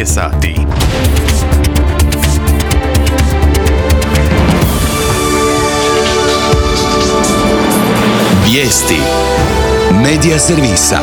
je sati. Vijesti Medija servisa.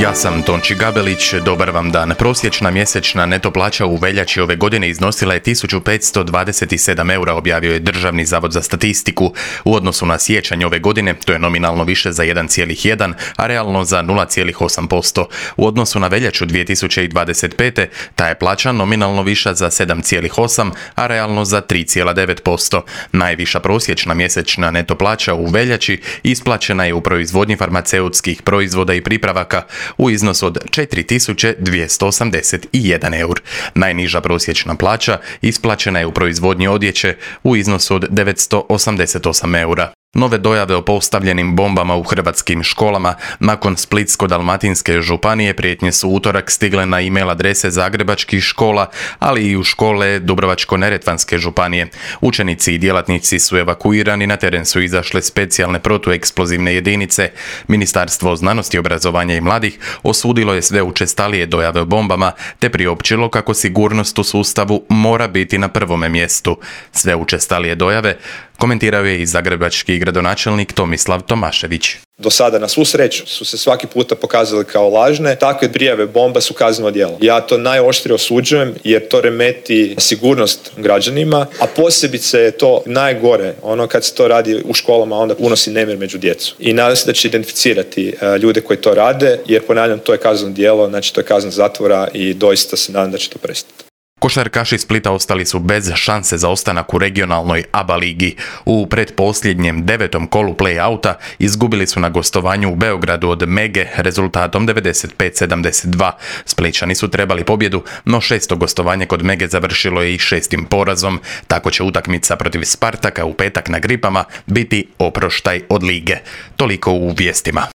Ja sam Tonči Gabelić, dobar vam dan. Prosječna mjesečna neto plaća u veljači ove godine iznosila je 1527 eura, objavio je Državni zavod za statistiku. U odnosu na siječanj ove godine, to je nominalno više za 1,1, a realno za 0,8%. U odnosu na veljaču 2025. ta je plaća nominalno viša za 7,8, a realno za 3,9%. Najviša prosječna mjesečna neto plaća u veljači isplaćena je u proizvodnji farmaceutskih proizvoda i pripravaka u iznosu od 4281 eur. Najniža prosječna plaća isplaćena je u proizvodnji odjeće u iznosu od 988 eura. Nove dojave o postavljenim bombama u hrvatskim školama nakon Splitsko-dalmatinske županije prijetnje su utorak stigle na e-mail adrese zagrebačkih škola, ali i u škole Dubrovačko-neretvanske županije. Učenici i djelatnici su evakuirani, na teren su izašle specijalne protueksplozivne jedinice. Ministarstvo znanosti, obrazovanja i mladih osudilo je sve učestalije dojave o bombama te priopćilo kako sigurnost u sustavu mora biti na prvome mjestu. Sve učestalije dojave komentirao je i zagrebački gradonačelnik Tomislav Tomašević. Do sada, na svu sreću, su se svaki puta pokazali kao lažne. Takve prijave bomba su kazneno djelo. Ja to najoštrije osuđujem jer to remeti sigurnost građanima, a posebice je to najgore kad se to radi u školama, onda unosi nemir među djecu. I nadam se da će identificirati ljude koji to rade, jer ponavljam, to je kazneno djelo, znači to je kazna zatvora i doista se nadam da će to prestati. Košarkaši Splita ostali su bez šanse za ostanak u regionalnoj ABA ligi. U pretposljednjem 9. kolu play-outa izgubili su na gostovanju u Beogradu od Mege rezultatom 95-72. Splićani su trebali pobjedu, no 6. gostovanje kod Mege završilo je i 6. porazom. Tako će utakmica protiv Spartaka u petak na Gripama biti oproštaj od lige. Toliko u vijestima.